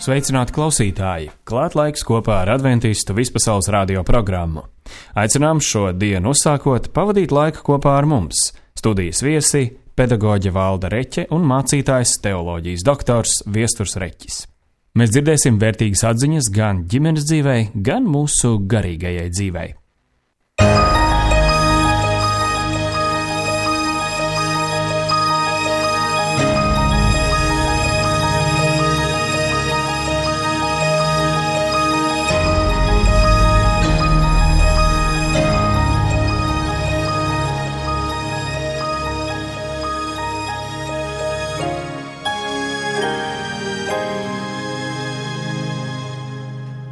Sveicināti klausītāji! Klāt laiks kopā ar Adventistu vispasaules radio programmu. Aicinām šo dienu uzsākot pavadīt laiku kopā ar mums. Studijas viesi – pedagoģe Valda Reķe un mācītājs teoloģijas doktors Viesturs Reķis. Mēs dzirdēsim vērtīgas atziņas gan ģimenes dzīvei, gan mūsu garīgajai dzīvei.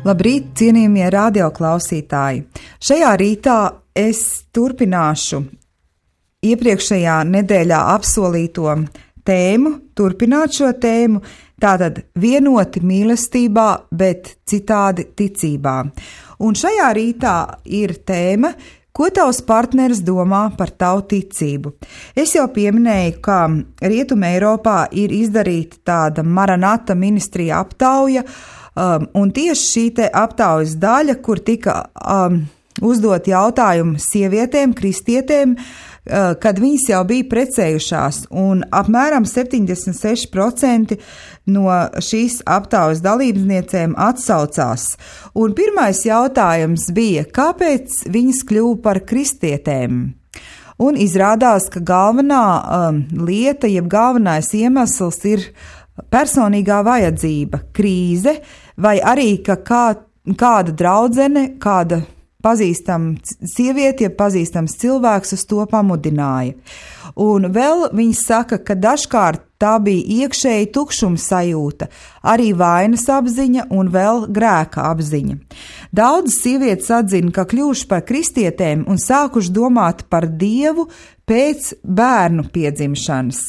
Labrīt, cienījamie radioklausītāji! Šajā rītā es turpināšu iepriekšējā nedēļā apsolīto tēmu, turpināt šo tēmu, tātad vienoti mīlestībā, bet citādi ticībā. Un šajā rītā ir tēma, ko tavs partneris domā par tavu ticību. Es jau pieminēju, ka Rietuma Eiropā ir izdarīta tāda Maranata ministrija aptauja, un tieši šī te aptaujas daļa, kur tika uzdot jautājumu sievietēm, kristietēm, kad viņas jau bija precējušās, un apmēram 76% no šīs aptaujas dalībniecēm atsaucās. Un pirmais jautājums bija, kāpēc viņas kļuva par kristietēm? Un izrādās, ka galvenā lieta, jeb galvenais iemesls ir personīgā vajadzība, krīze, vai arī, ka kāda draudzene, kāda pazīstama sieviete, ja pazīstams cilvēks uz to pamudināja. Un vēl viņi saka, ka dažkārt tā bija iekšēji tukšuma sajūta, arī vainas apziņa un vēl grēka apziņa. Daudzas sievietes atzina, ka kļuvuši par kristietēm un sākuši domāt par Dievu pēc bērnu piedzimšanas.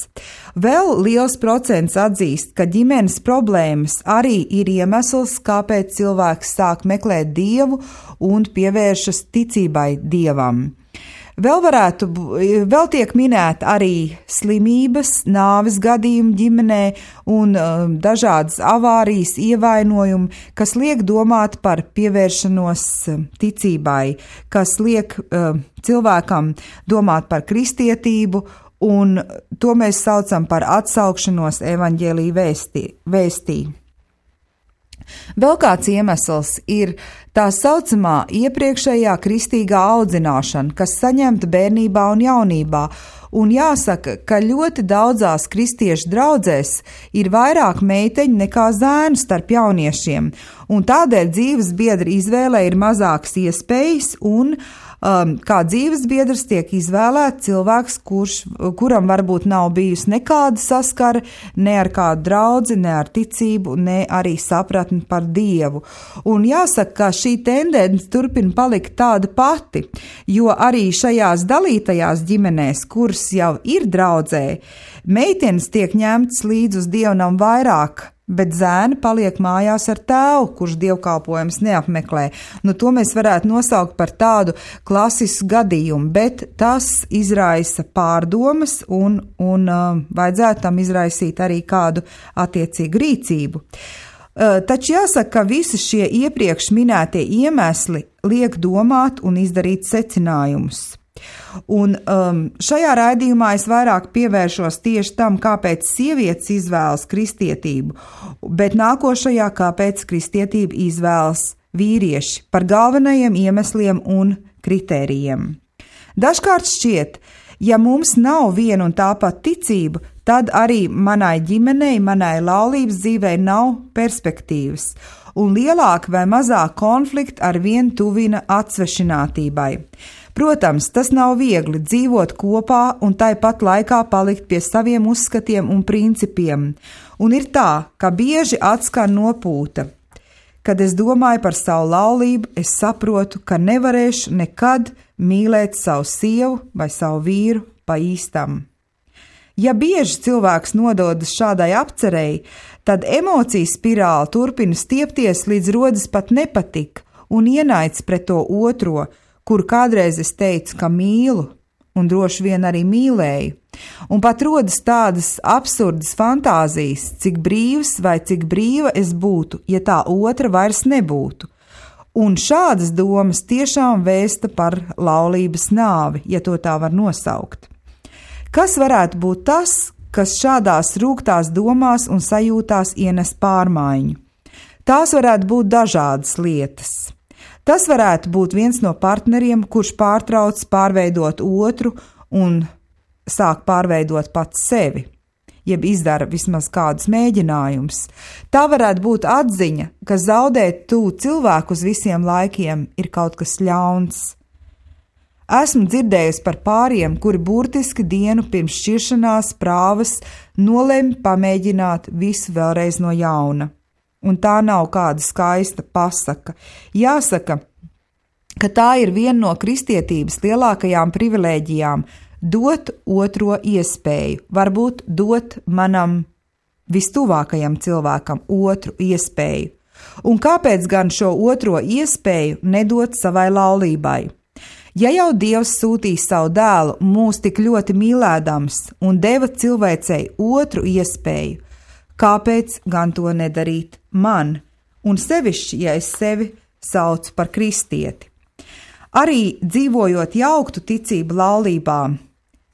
Vēl liels procents atzīst, ka ģimenes problēmas arī ir iemesls, kāpēc cilvēks sāk meklēt Dievu un pievēršas ticībai Dievam. Vēl tiek minēta arī slimības, nāves gadījumi ģimenē un dažādas avārijas, ievainojumi, kas liek domāt par pievēršanos ticībai, kas liek cilvēkam domāt par kristietību, un to mēs saucam par atsaukšanos evaņģēlija vēstī. Vēl kāds iemesls ir tā saucamā iepriekšējā kristīgā audzināšana, kas saņemta bērnībā un jaunībā, un jāsaka, ka ļoti daudzās kristiešu draudzēs ir vairāk meiteņu nekā zēnu starp jauniešiem, un tādēļ dzīves biedra izvēlē ir mazākas iespējas, un kā dzīves biedrs tiek izvēlēts cilvēks, kuram varbūt nav bijusi nekāda saskara, ne ar kādu draudzi, ne ar ticību, ne arī sapratni par Dievu. Un jāsaka, ka šī tendence turpina palikt tāda pati, jo arī šajās dalītajās ģimenēs, kuras jau ir draudzē, meitenes tiek ņemtas līdz uz dievnam vairāk, bet zēni paliek mājās ar tēvu, kurš dievkalpojums neapmeklē. To mēs varētu nosaukt par tādu klasisku gadījumu, bet tas izraisa pārdomas un vajadzētu tam izraisīt arī kādu attiecīgu rīcību. Taču jāsaka, ka visi šie iepriekš minētie iemesli liek domāt un izdarīt secinājumus. Un šajā raidījumā es vairāk pievēršos tieši tam, kāpēc sievietes izvēlas kristietību, bet nākošajā, kāpēc kristietību izvēlas vīrieši par galvenajiem iemesliem un kritērijiem. Dažkārt šķiet, ja mums nav viena un tā pat ticība, tad arī manai ģimenei, manai laulības dzīvei nav perspektīvas, un lielāka vai mazāk konflikti ar vien tuvina atsvešinātībai. Protams, tas nav viegli dzīvot kopā un tāpat laikā palikt pie saviem uzskatiem un principiem. Un ir tā, ka bieži atskan nopūta. Kad es domāju par savu laulību, es saprotu, ka nevarēšu nekad mīlēt savu sievu vai savu vīru pa īstam. Ja bieži cilvēks nododas šādai apcerei, tad emociju spirāli turpina stiepties, līdz rodas pat nepatika un ienaids pret to otro, kuru kādreiz es teicu, ka mīlu, un droši vien arī mīlēju. Un pat rodas tādas absurdas fantāzijas, cik brīvs vai cik brīva es būtu, ja tā otra vairs nebūtu. Un šādas domas tiešām vēsta par laulības nāvi, ja to tā var nosaukt. Kas varētu būt tas, kas šādās rūgtās domās un sajūtās ienes pārmaiņu? Tās varētu būt dažādas lietas. Tas varētu būt viens no partneriem, kurš pārtrauc pārveidot otru un sāk pārveidot pats sevi, jeb izdara vismaz kādus mēģinājumus. Tā varētu būt atziņa, ka zaudēt tuvu cilvēku uz visiem laikiem ir kaut kas ļauns. Esmu dzirdējusi par pāriem, kuri burtiski dienu pirms šķiršanās prāvas nolemj pamēģināt visu vēlreiz no jauna. Un tā nav kāda skaista pasaka. Jāsaka, ka tā ir viena no kristietības lielākajām privilēģijām – dot otro iespēju, varbūt dot manam vistuvākajam cilvēkam otru iespēju. Un kāpēc gan šo otro iespēju nedot savai laulībai? Ja jau Dievs sūtīja savu dēlu mūs tik ļoti mīlēdams un deva cilvēcei otru iespēju, kāpēc gan to nedarīt man, un sevišķi, ja es sevi saucu par kristieti? Arī dzīvojot jauktu ticību laulībā,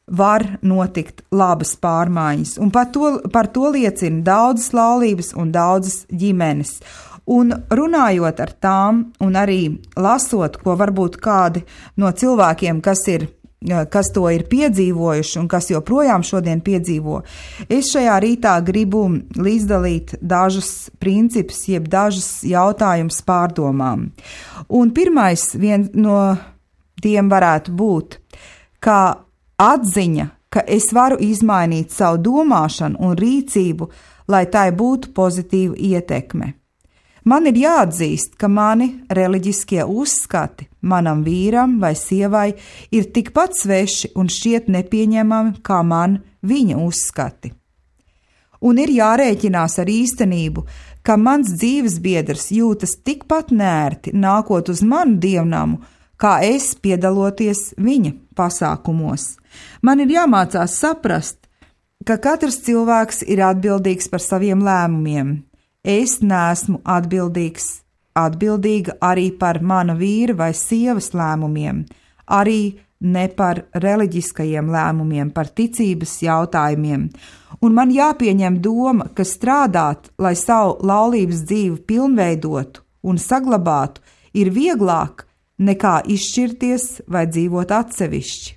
var notikt labas pārmaiņas, un par to liecina daudzas laulības un daudzas ģimenes. Un runājot ar tām, un arī lasot, ko varbūt kādi no cilvēkiem, kas to ir piedzīvojuši un kas joprojām šodien piedzīvo, es šajā rītā gribu līdzdalīt dažus principus, jeb dažus jautājumus pārdomām. Un pirmais no tiem varētu būt, kā atziņa, ka es varu izmainīt savu domāšanu un rīcību, lai tai būtu pozitīva ietekme. Man ir jāatzīst, ka mani reliģiskie uzskati manam vīram vai sievai ir tikpat sveši un šķiet nepieņemami kā man viņa uzskati. Un ir jārēķinās ar īstenību, ka mans dzīvesbiedrs jūtas tikpat nērti nākot uz manu dievnamu, kā es piedaloties viņa pasākumos. Man ir jāmācās saprast, ka katrs cilvēks ir atbildīgs par saviem lēmumiem. Es neesmu atbildīga arī par mana vīra vai sievas lēmumiem, arī ne par reliģiskajiem lēmumiem, par ticības jautājumiem. Un man jāpieņem doma, ka strādāt, lai savu laulības dzīvi pilnveidotu un saglabātu, ir vieglāk nekā izšķirties vai dzīvot atsevišķi.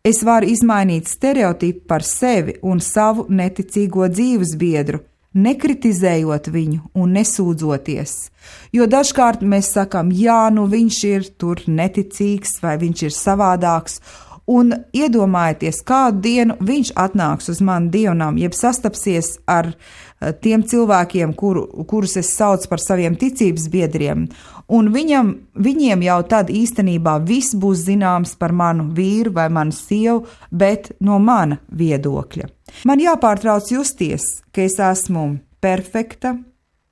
Es varu izmainīt stereotipu par sevi un savu neticīgo dzīvesbiedru, nekritizējot viņu un nesūdzoties, jo dažkārt mēs sakam, jā, viņš ir tur neticīgs vai viņš ir savādāks, un iedomājieties, kādu dienu viņš atnāks uz manu dievnam, jeb sastapsies ar tiem cilvēkiem, kurus es saucu par saviem ticības biedriem, un viņiem jau tad īstenībā viss būs zināms par manu vīru vai manu sievu, bet no mana viedokļa. Man jāpārtrauc justies, ka es esmu perfekta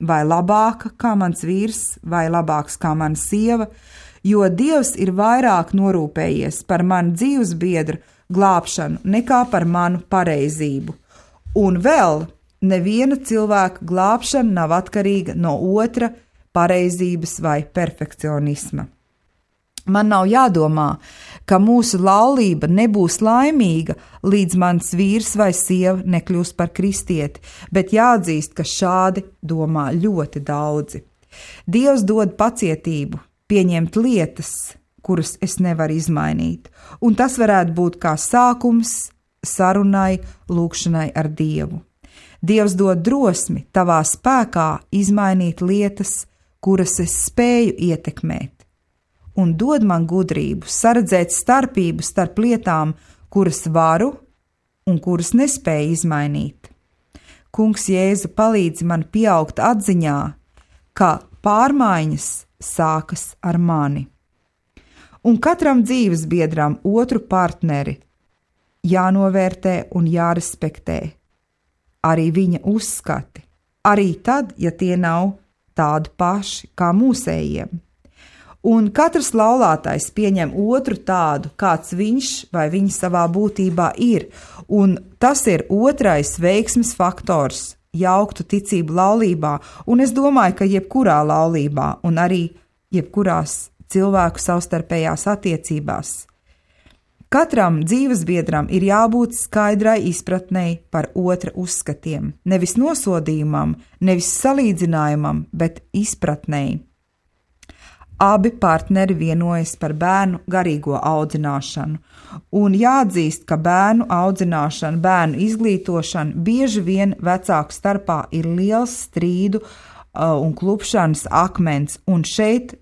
vai labāka kā mans vīrs vai labāks kā mana sieva, jo Dievs ir vairāk norūpējies par manu dzīvesbiedru glābšanu nekā par manu pareizību. Un vēl neviena cilvēka glābšana nav atkarīga no otra pareizības vai perfekcionisma. Man nav jādomā, ka mūsu laulība nebūs laimīga, līdz mans vīrs vai sieva nekļūs par kristieti, bet jāatzīst, ka šādi domā ļoti daudzi. Dievs dod pacietību, pieņemt lietas, kuras es nevaru izmainīt, un tas varētu būt kā sākums sarunai, lūgšanai ar Dievu. Dievs dod drosmi tavā spēkā izmainīt lietas, kuras es spēju ietekmēt, un dod man gudrību saredzēt starpību starp lietām, kuras varu un kuras nespēju izmainīt. Kungs Jēzu palīdz man pieaugt atziņā, ka pārmaiņas sākas ar mani. Un katram dzīvesbiedram otru partneri jānovērtē un jārespektē. Arī viņa uzskati, arī tad, ja tie nav tādi paši kā mūsējiem. Un katrs laulātais pieņem otru tādu, kāds viņš vai viņa savā būtībā ir, un tas ir otrais veiksmes faktors jauktu ticību laulībā, un es domāju, ka jebkurā laulībā un arī jebkurās cilvēku savstarpējās attiecībās. Katram dzīvesbiedram ir jābūt skaidrai izpratnei par otra uzskatiem, nevis nosodījumam, nevis salīdzinājumam, bet izpratnei. Abi partneri vienojas par bērnu garīgo audzināšanu, un jāatzīst, ka bērnu audzināšana, bērnu izglītošana bieži vien vecāku starpā ir liels strīdu un klupšanas akmens, un šeit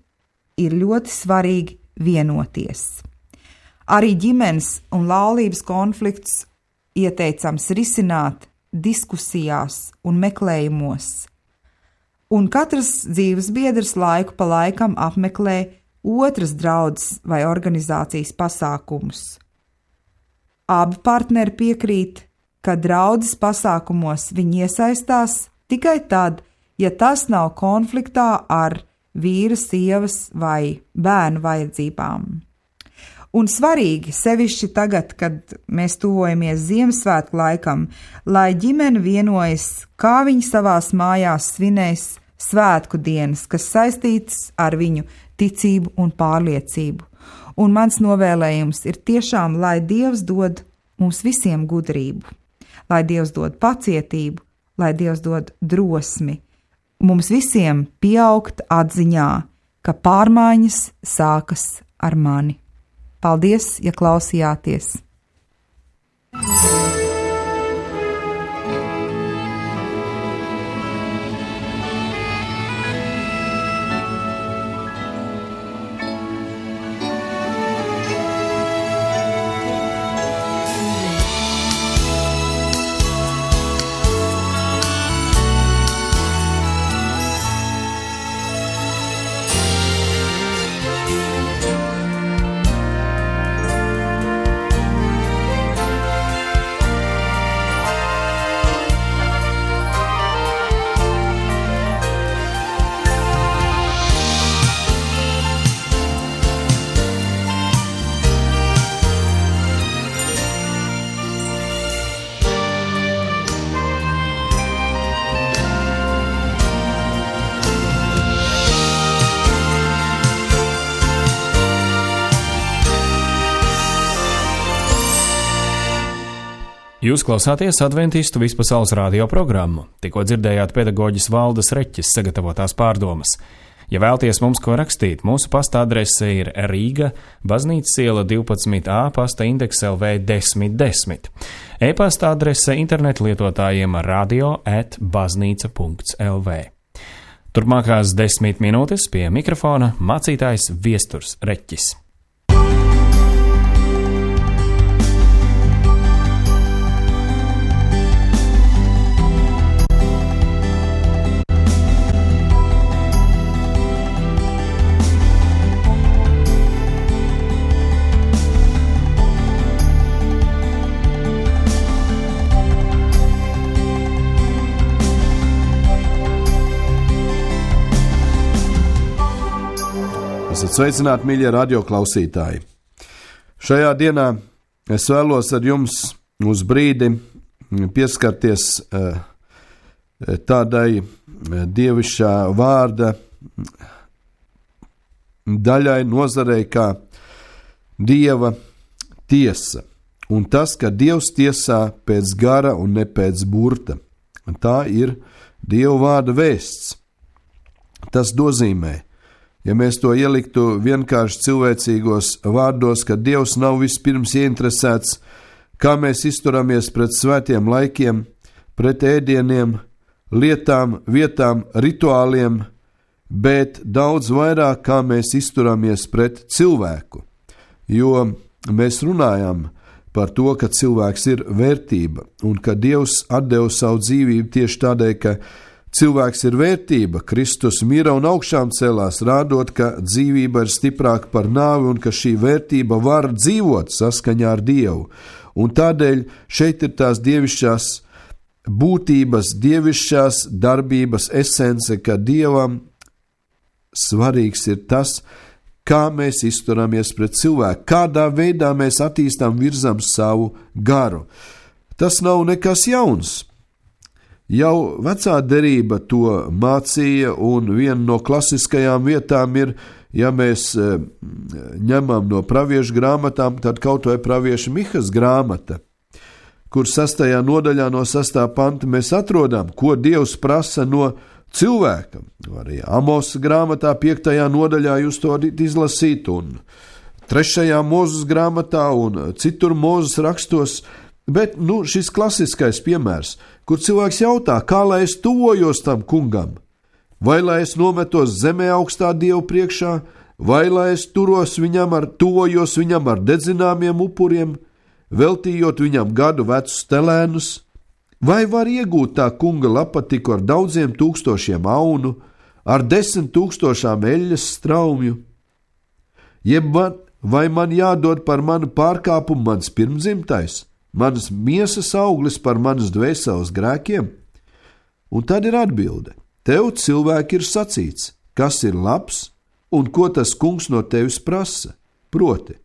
ir ļoti svarīgi vienoties. Arī ģimenes un laulības konflikts ieteicams risināt diskusijās un meklējumos, un katrs dzīves biedrs laiku pa laikam apmeklē otras draudzes vai organizācijas pasākumus. Abi partneri piekrīt, ka draudzes pasākumos viņi iesaistās tikai tad, ja tas nav konfliktā ar vīra, sievas vai bērnu vajadzībām. Un svarīgi, sevišķi tagad, kad mēs tuvojamies Ziemassvētku laikam, lai ģimene vienojas, kā viņi savās mājās svinēs svētku dienas, kas saistītas ar viņu ticību un pārliecību. Un mans novēlējums ir tiešām, lai Dievs dod mums visiem gudrību, lai Dievs dod pacietību, lai Dievs dod drosmi, mums visiem pieaugt atziņā, ka pārmaiņas sākas ar mani. Paldies, ja klausījāties! Jūs klausāties Adventistu vispasaules radio programmu. Tikko dzirdējāt pedagoģis Valdes Reķes sagatavotās pārdomas. Ja vēlties mums ko rakstīt, mūsu pasta adrese ir Rīga, Baznīcas iela 12A, pasta indeks LV 1010. E-pasta adrese internetu lietotājiem radio@baznīca.lv. Turpmākās 10 minūtes pie mikrofona mācītājs Viesturs Reķis. Sveicināti, mīļie radioklausītāji! Šajā dienā es vēlos ar jums uz brīdi pieskarties tādai dievišķā vārda daļai, nozarei kā Dieva tiesa. Un tas, ka Dievs tiesā pēc gara un ne pēc burta. Tā ir Dieva vārda vēsts. Tas nozīmē, ja mēs to ieliktu vienkārši cilvēcīgos vārdos, ka Dievs nav vispirms ieinteresēts, kā mēs izturamies pret svētiem laikiem, pret ēdieniem, lietām, vietām, rituāliem, bet daudz vairāk, kā mēs izturamies pret cilvēku. Jo mēs runājam par to, ka cilvēks ir vērtība un ka Dievs atdeva savu dzīvību tieši tādēļ, ka cilvēks ir vērtība, Kristus mira un augšām celās, rādot, ka dzīvība ir stiprāka par nāvi un ka šī vērtība var dzīvot saskaņā ar Dievu. Un tādēļ šeit ir tās dievišķās būtības, dievišķās darbības esence, ka Dievam svarīgs ir tas, kā mēs izturamies pret cilvēku, kādā veidā mēs attīstām, virzam savu garu. Tas nav nekas jauns. Jau vecā derība to mācīja, un viena no klasiskajām vietām ir, ja mēs ņemam no praviešu grāmatām, tad kaut vai pravieša Mihas grāmata, kur 6. nodaļā no 6. panta mēs atrodam, ko Dievs prasa no cilvēka. Arī Amosa grāmatā 5. nodaļā jūs to izlasīt, un 3. Mūzes grāmatā un citur Mūzes rakstos, bet šis klasiskais piemērs, kur cilvēks jautā, kā lai es tuvojos tam kungam, vai lai es nometos zemē augstā Dievu priekšā, vai lai es tuvojos viņam ar dedzināmiem upuriem, veltījot viņam gadu vecus telēnus, vai var iegūt tā kunga lapatiku ar daudziem tūkstošiem aunu, ar 10 000 eļļas straumju? Vai man jādod par manu pārkāpumu mans pirmdzimtais, manas miesas auglis par manas dvēseles grēkiem? Un tad ir atbilde. Tev, cilvēki, ir sacīts, kas ir labs un ko tas kungs no tevis prasa, proti,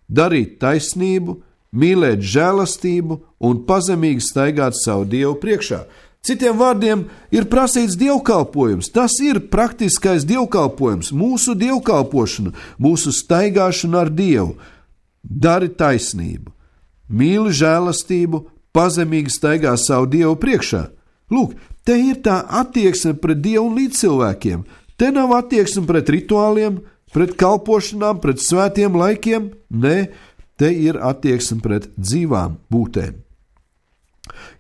darīt taisnību, mīlēt žēlastību un pazemīgi staigāt savu Dievu priekšā. Citiem vārdiem ir prasīts dievkalpojums. Tas ir praktiskais dievkalpojums, mūsu dievkalpošana, mūsu staigāšana ar Dievu. Dari taisnību, mīli žēlastību, pazemīgi staigā savu Dievu priekšā. Lūk, te ir tā attieksme pret Dievu un līdzcilvēkiem. Te nav attieksme pret rituāliem, pret kalpošanām, pret svētiem laikiem. Nē, te ir attieksme pret dzīvām būtēm.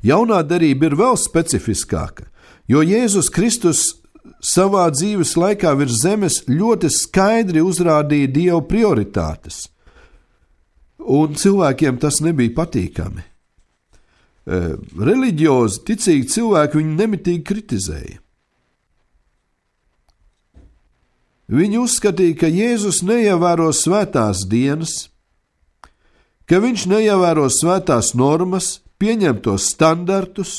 Jaunā derība ir vēl specifiskāka, jo Jēzus Kristus savā dzīves laikā virs zemes ļoti skaidri uzrādīja Dieva prioritātes, un cilvēkiem tas nebija patīkami. Reliģiozi, ticīgi cilvēki viņu nemitīgi kritizēja. Viņi uzskatīja, ka Jēzus neievēro svētās dienas, ka viņš neievēro svētās normas, pieņemtos standartus,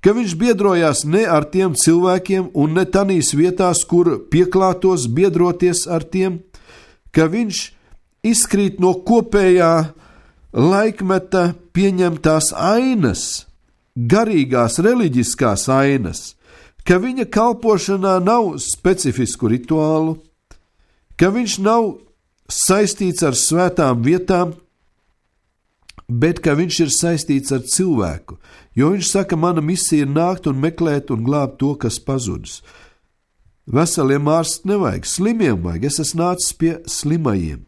ka viņš biedrojās ne ar tiem cilvēkiem un ne tanīs vietās, kur pieklātos biedroties ar tiem, ka viņš izkrīt no kopējā laikmeta pieņemtās ainas, garīgās, reliģiskās ainas, ka viņa kalpošanā nav specifisku rituālu, ka viņš nav saistīts ar svētām vietām, bet ka viņš ir saistīts ar cilvēku, jo viņš saka, mana misija ir nākt un meklēt un glābt to, kas pazudis. Veseliem ārsts nevajag, slimiem vajag, es esmu nācis pie slimajiem,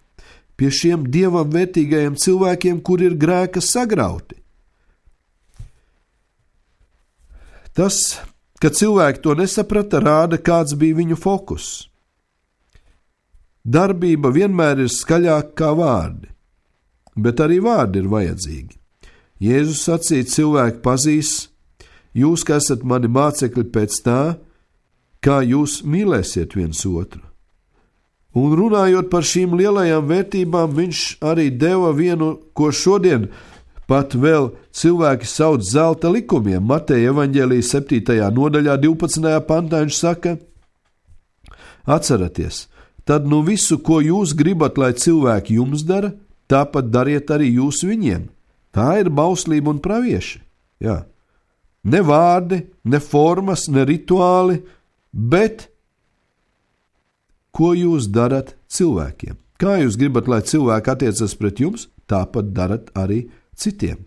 pie šiem Dievam vērtīgajiem cilvēkiem, kur ir grēka sagrauti. Tas, ka cilvēki to nesaprata, rāda, kāds bija viņu fokus. Darbība vienmēr ir skaļāka kā vārdi, bet arī vārdi ir vajadzīgi. Jēzus sacīja, cilvēki pazīs, jūs, ka esat mani mācekļi pēc tā, kā jūs mīlēsiet viens otru. Un runājot par šīm lielajām vērtībām, viņš arī deva vienu, ko šodien pat vēl cilvēki sauc zelta likumiem. Mateja evaņģēlijas 7. nodaļā 12. pantā viņš saka, atceraties, tad visu, ko jūs gribat, lai cilvēki jums dara, tāpat dariet arī jūs viņiem. Tā ir bauslība un pravieši. Jā. Ne vārdi, ne formas, ne rituāli, bet ko jūs darat cilvēkiem. Kā jūs gribat, lai cilvēki attiecas pret jums, tāpat darat arī citiem.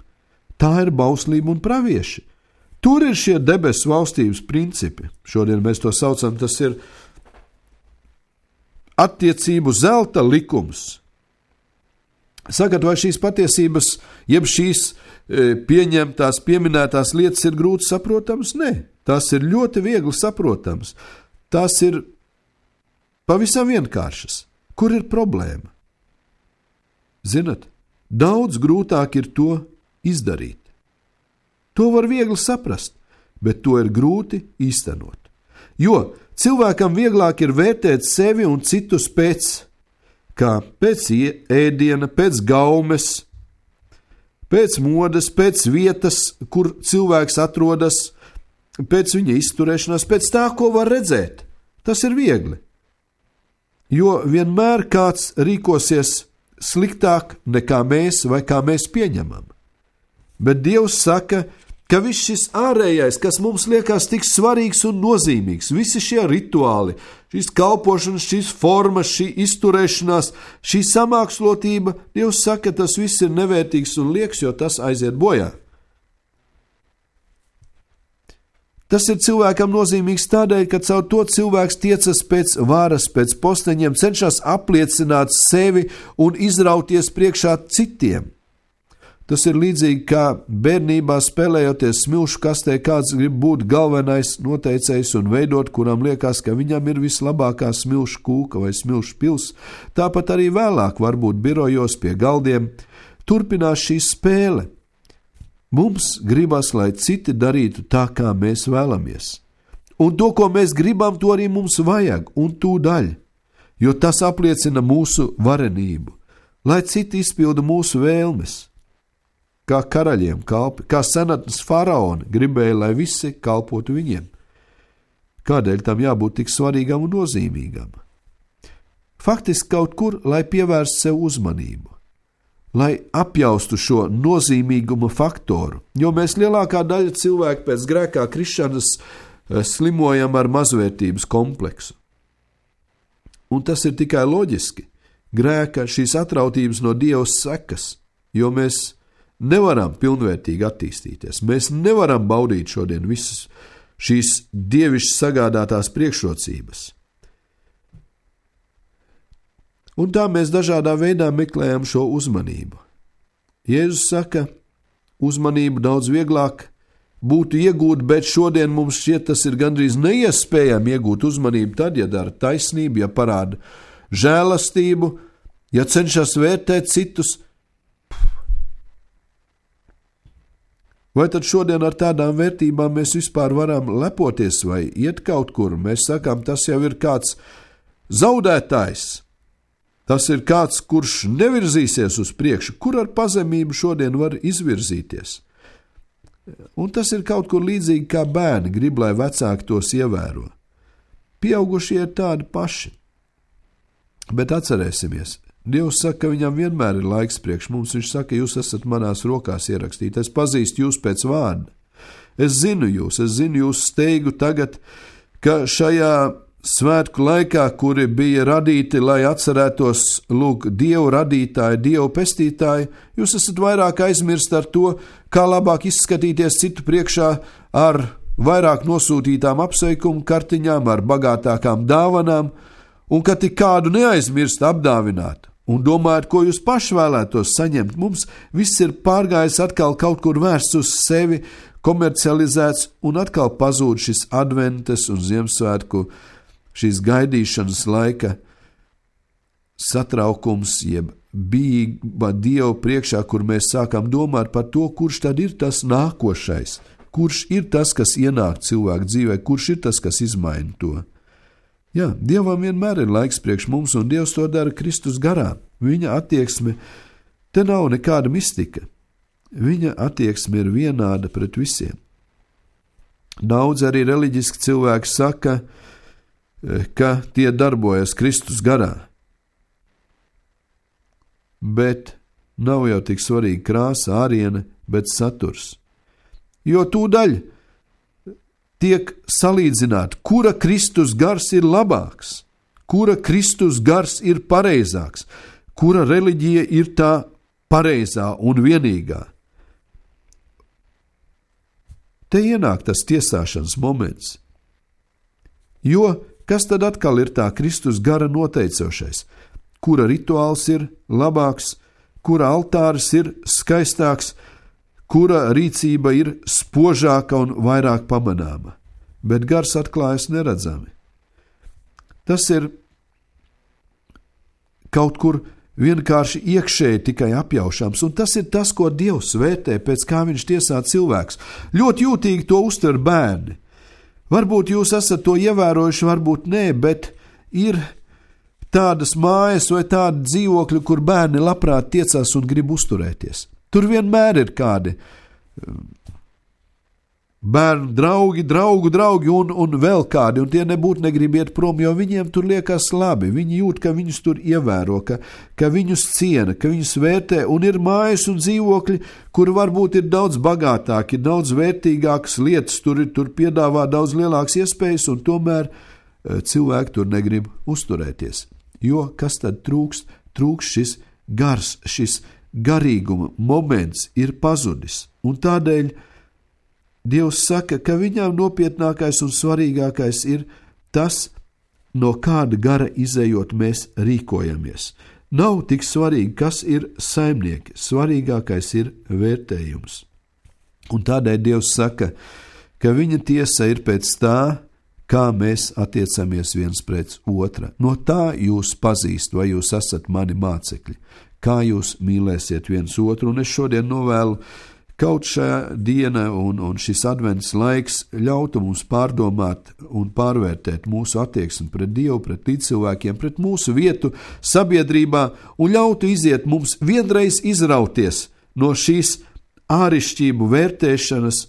Tā ir bauslība un pravieši. Tur ir šie debesu valstības principi. Šodien mēs to saucam, tas ir attiecību zelta likums. Sakat, vai šīs patiesības, jeb šīs pieņemtās, pieminētās lietas ir grūti saprotamas? Nē, tās ir ļoti viegli saprotamas. Tās ir pavisam vienkāršas. Kur ir problēma? Zinat, daudz grūtāk ir to izdarīt. To var viegli saprast, bet to ir grūti īstenot. Jo cilvēkam vieglāk ir vērtēt sevi un citus kā pēc ēdiena, pēc gaumes, pēc modes, pēc vietas, kur cilvēks atrodas, pēc viņa izturēšanās, pēc tā, ko var redzēt. Tas ir viegli. jo vienmēr kāds rīkosies sliktāk nekā mēs vai kā mēs pieņemam. Bet Dievs saka, ka viss šis ārējais, kas mums liekas tik svarīgs un nozīmīgs, visi šie rituāli, šīs kalpošanas, šīs formas, šī izturēšanās, šī samākslotība, Dievs saka, tas viss ir nevērtīgs un lieks, jo tas aiziet bojā. Tas ir cilvēkam nozīmīgs tādēļ, ka caur to cilvēks tiecas pēc varas, pēc posteņiem, cenšas apliecināt sevi un izrauties priekšā citiem. Tas ir līdzīgi kā bērnībā spēlējoties smilšu kastē, kāds grib būt galvenais noteicējs un veidot, kuram liekas, ka viņam ir vislabākā smilšu kūka vai smilšu pils. Tāpat arī vēlāk, varbūt birojos pie galdiem, turpinās šī spēle. Mums gribas, lai citi darītu tā, kā mēs vēlamies. Un to, ko mēs gribam, to arī mums vajag un tūdaļ, jo tas apliecina mūsu varenību, lai citi izpilda mūsu vēlmes. Kā karaļiem kalpi, kā senatnes faraoni gribēja, lai visi kalpotu viņiem. Kādēļ tam jābūt tik svarīgam un nozīmīgam? Faktiski kaut kur, lai pievērst sev uzmanību, lai apjaustu šo nozīmīguma faktoru, jo mēs lielākā daļa cilvēku pēc grēkā krišanas slimojam ar mazvērtības kompleksu. Un tas ir tikai loģiski. Grēka šīs atrautības no Dieva sekas, jo mēs nevaram pilnvērtīgi attīstīties. Mēs nevaram baudīt šodien visas šīs dievišķi sagādātās priekšrocības. Un tā mēs dažādā veidā meklējam šo uzmanību. Jēzus saka, uzmanību daudz vieglāk būtu iegūt, bet šodien mums šķiet tas ir gandrīz neiespējami iegūt uzmanību tad, ja dara taisnību, ja parāda žēlastību, ja cenšas vērtēt citus. Vai tad šodien ar tādām vērtībām mēs vispār varam lepoties vai iet kaut kur? Mēs sakām, tas jau ir kāds zaudētājs. Tas ir kāds, kurš nevirzīsies uz priekšu. Kur ar pazemību šodien var izvirzīties? Un tas ir kaut kur līdzīgi kā bērni grib, lai vecāki tos ievēro. Pieaugušie ir tādi paši. Bet atcerēsimies, Dievs saka, ka viņam vienmēr ir laiks priekš mums. Viņš saka, jūs esat manās rokās ierakstīti. Es pazīstu jūs pēc vārda. Es zinu jūs steigu tagad, ka šajā svētku laikā, kuri bija radīti, lai atcerētos, lūk, Dievu radītāju, Dievu pestītāju, jūs esat vairāk aizmirst ar to, kā labāk izskatīties citu priekšā ar vairāk nosūtītām apsveikumu kartiņām, ar bagātākām dāvanām, un ka tik kādu neaizmirst apdāvināt. Un domājat, ko jūs paši vēlētos saņemt. Mums viss ir pārgājis atkal kaut kur vērsts uz sevi, komercializēts, un atkal pazūd šis adventes un Ziemassvētku, šīs gaidīšanas laika satraukums, jeb bijība Dievu priekšā, kur mēs sākam domāt par to, kurš tad ir tas nākošais, kurš ir tas, kas ienāk cilvēku dzīvē, kurš ir tas, kas izmaina to. Jā, Dievam vienmēr ir laiks priekš mums, un Dievs to dara Kristus garā. Viņa attieksme, te nav nekāda mistika. Viņa attieksme ir vienāda pret visiem. Daudz arī reliģiski cilvēki saka, ka tie darbojas Kristus garā. Bet nav jau tik svarīga krāsa, āriene, bet saturs. Jo tūdaļ tiek salīdzināti, kura Kristus gars ir labāks, kura Kristus gars ir pareizāks, kura reliģija ir tā pareizā un vienīgā. Te ienāk tas tiesāšanas moments. Jo kas tad atkal ir tā Kristus gara noteicošais? Kura rituāls ir labāks, kura altāris ir skaistāks, kura rīcība ir spožāka un vairāk pamanāma, bet gars atklājas neredzami. Tas ir kaut kur vienkārši iekšēji tikai apjaušams, un tas ir tas, ko Dievs vērtē, pēc kā viņš tiesā cilvēks. Ļoti jūtīgi to uztver bērni. Varbūt jūs esat to ievērojuši, varbūt nē, bet ir tādas mājas vai tādi dzīvokļi, kur bērni labprāt tiecās un grib uzturēties. Tur vienmēr ir kādi bērnu draugi un vēl kādi, un tie nebūtu negrib iet prom, jo viņiem tur liekas labi, viņi jūt, ka viņus tur ievēro, ka viņus ciena, ka viņus vērtē, un ir mājas un dzīvokļi, kur varbūt ir daudz bagātāki, ir daudz vērtīgākas lietas, tur piedāvā daudz lielākas iespējas, un tomēr cilvēki tur negrib uzturēties. Jo kas tad trūkst? Trūkst šis gars, šis garīguma moments ir pazudis, un tādēļ Dievs saka, ka viņam nopietnākais un svarīgākais ir tas, no kāda gara izejot mēs rīkojamies. Nav tik svarīgi, kas ir saimnieki, svarīgākais ir vērtējums. Un tādēļ Dievs saka, ka viņa tiesa ir pēc tā, kā mēs attiecamies viens pret otra. No tā jūs pazīst, vai jūs esat mani mācekļi, kā jūs mīlēsiet viens otru, un es šodien novēlu, kaut šā diena un šis advents laiks ļautu mums pārdomāt un pārvērtēt mūsu attieksmi pret Dievu, pret līdzcilvēkiem, pret mūsu vietu sabiedrībā un ļautu iziet mums vienreiz izrauties no šīs ārišķību vērtēšanas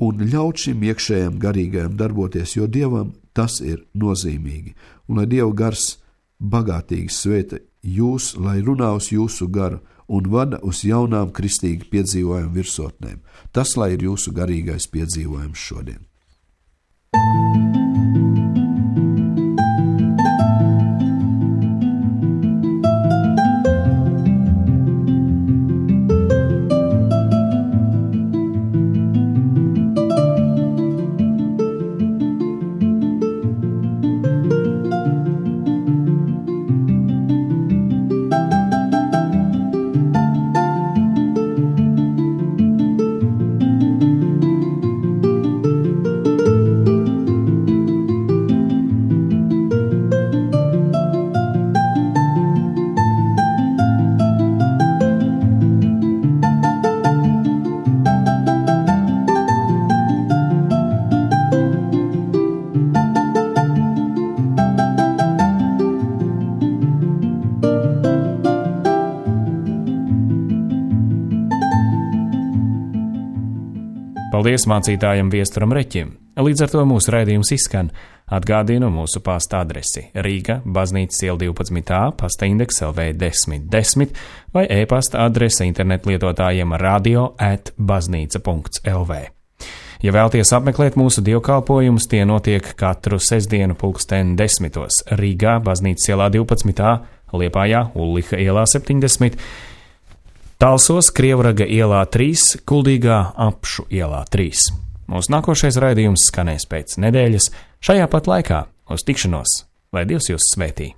un ļaut šim iekšējam garīgajam darboties, jo Dievam tas ir nozīmīgi. Un lai Dieva gars bagātīgi svēta jūs, lai runā uz jūsu garu, un vada uz jaunām kristīgi piedzīvojumu virsotnēm. Tas, lai ir jūsu garīgais piedzīvojums šodien. Paldies mācītājam Viesturam Reķim. Līdz ar to mūsu raidījums izskan. Atgādinu mūsu pasta adresi Rīga, Baznīcas iela 12a, pasta indeks LV 1010 vai e-pasta adrese internetlietotājiem radio@baznīca.lv. Ja vēlties apmeklēt mūsu dievkalpojumus, tie notiek katru sestdienu 10:00 Rīgā, Baznīcas ielā 12a, Liepājā, Ulliha ielā 70, Talsos, Krievraga ielā 3, Kuldīgā, Apšu ielā 3. Mūsu nākošais raidījums skanēs pēc nedēļas šajā pat laikā. Uz tikšanos, lai Dievs jūs svētī!